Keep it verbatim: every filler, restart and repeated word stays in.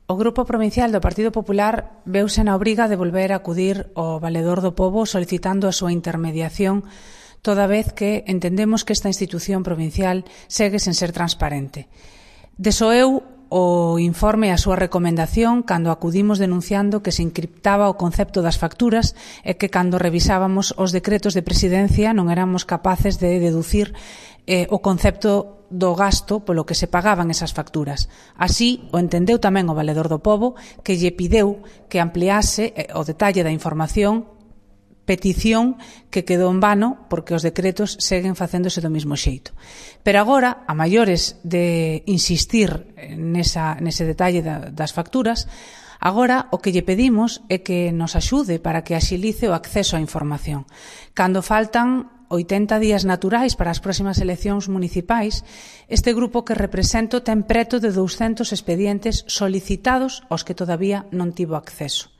O Grupo Provincial do Partido Popular veuse na obriga de volver a acudir ao Valedor do Pobo solicitando a súa intermediación, toda vez que entendemos que esta institución provincial segue sen ser transparente. Desoeu o informe e a súa recomendación cando acudimos denunciando que se encriptaba o concepto das facturas e que cando revisábamos os decretos de presidencia non éramos capaces de deducir eh, o concepto do gasto polo que se pagaban esas facturas. Así o entendeu tamén o Valedor do Pobo, que lle pideu que ampliase eh, o detalle da información, petición que quedou en vano porque os decretos seguen facéndose do mesmo xeito. Pero agora, a maiores de insistir nesa, nese detalle da, das facturas, agora o que lle pedimos é que nos axude para que axilice o acceso á información. Cando faltan oitenta días naturais para as próximas eleccións municipais, este grupo que represento ten preto de douscentos expedientes solicitados aos que todavía non tivo acceso.